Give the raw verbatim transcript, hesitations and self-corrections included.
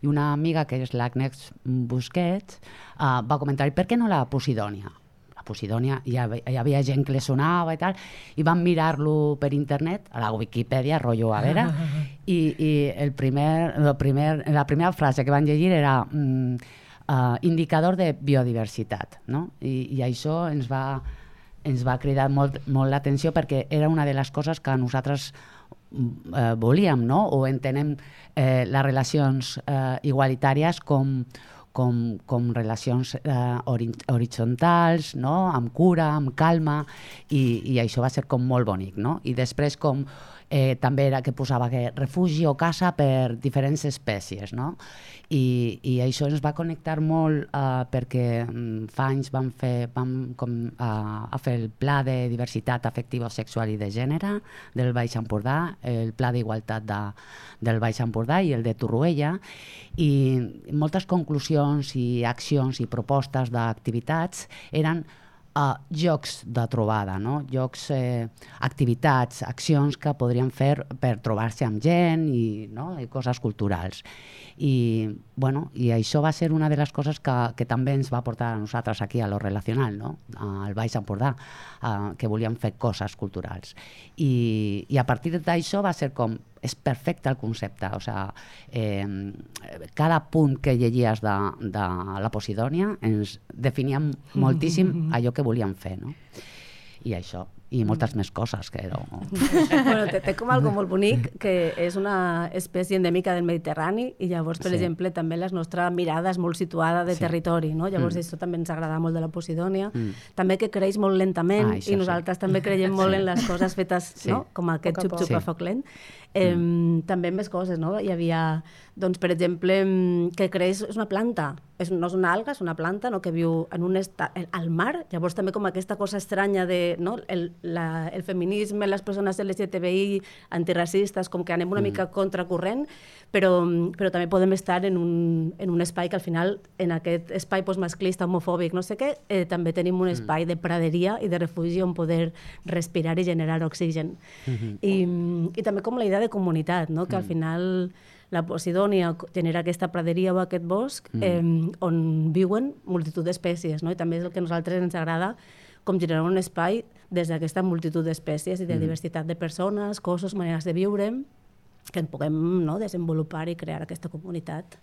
I una amiga, que és l'Agnès Busquets, uh, va comentar, per què no la Posidònia? La Posidònia, hi havia, hi havia gent que li sonava i tal, i van mirar-lo per internet, a la Wikipedia, rotllo, a veure, i, i el primer, el primer, la primera frase que van llegir era mm, uh, indicador de biodiversitat, no? I, i això ens va, ens va cridar molt, molt l'atenció perquè era una de les coses que nosaltres eh, volíem, no? O entenem eh, les relacions eh, igualitàries com, com, com relacions eh, horitzontals, no? Amb cura, amb calma, i, i això va ser com molt bonic, no? I després com eh, també era que posava que refugi o casa per diferents espècies, no? I, i això ens va connectar molt eh, perquè mm, fa anys vam fer, vam com, eh, a fer el Pla de Diversitat Afectiva, Sexual i de Gènere del Baix Empordà, el Pla d'Igualtat de, del Baix Empordà i el de Torroella, i moltes conclusions i accions i propostes d'activitats eren Uh, jocs de trobada, no? Jocs, eh, activitats, accions que podríem fer per trobar-se amb gent i, no? I coses culturals. I, bueno, i això va ser una de les coses que, que també ens va portar a nosaltres aquí a lo relacional, no? Al Baix Empordà, uh, que volíem fer coses culturals. I, i a partir d'això va ser com és perfecte el concepte, o sigui, eh, cada punt que llegies de, de la Posidònia ens definia moltíssim allò que volíem fer, no? I això, i moltes més coses que no... Bueno, té, té com algo molt bonic, que és una espècie endèmica del Mediterrani, i llavors, per sí. exemple, també la nostra mirada és molt situada de sí. territori, no? Llavors mm. això també ens agrada molt de la Posidònia, mm. també que creix molt lentament, ah, i nosaltres sí. també creiem molt sí. en les coses fetes, sí. no? Com aquest xup-xup a foc lent. Eh, mm. També més coses, no? Hi havia, doncs, per exemple, que creix, és una planta, és, no és una alga, és una planta, no? Que viu en un estat, al mar, llavors també com aquesta cosa estranya de, no? el, la, el feminisme, les persones L G T B I, antiracistes, com que anem una mm. mica contracorrent, però, però també podem estar en un, en un espai que al final, en aquest espai pues, masclista, homofòbic, no sé què, eh, també tenim un espai mm. de praderia i de refugi on poder respirar i generar oxigen. Mm-hmm. I, i també com la idea de comunitat, no? Que al final la Posidònia genera aquesta praderia o aquest bosc mm. eh, on viuen multitud d'espècies, no? I també és el que a nosaltres ens agrada, com generar un espai des d'aquesta multitud d'espècies i de mm. diversitat de persones, cossos, maneres de viure, que en puguem, no? Desenvolupar i crear aquesta comunitat.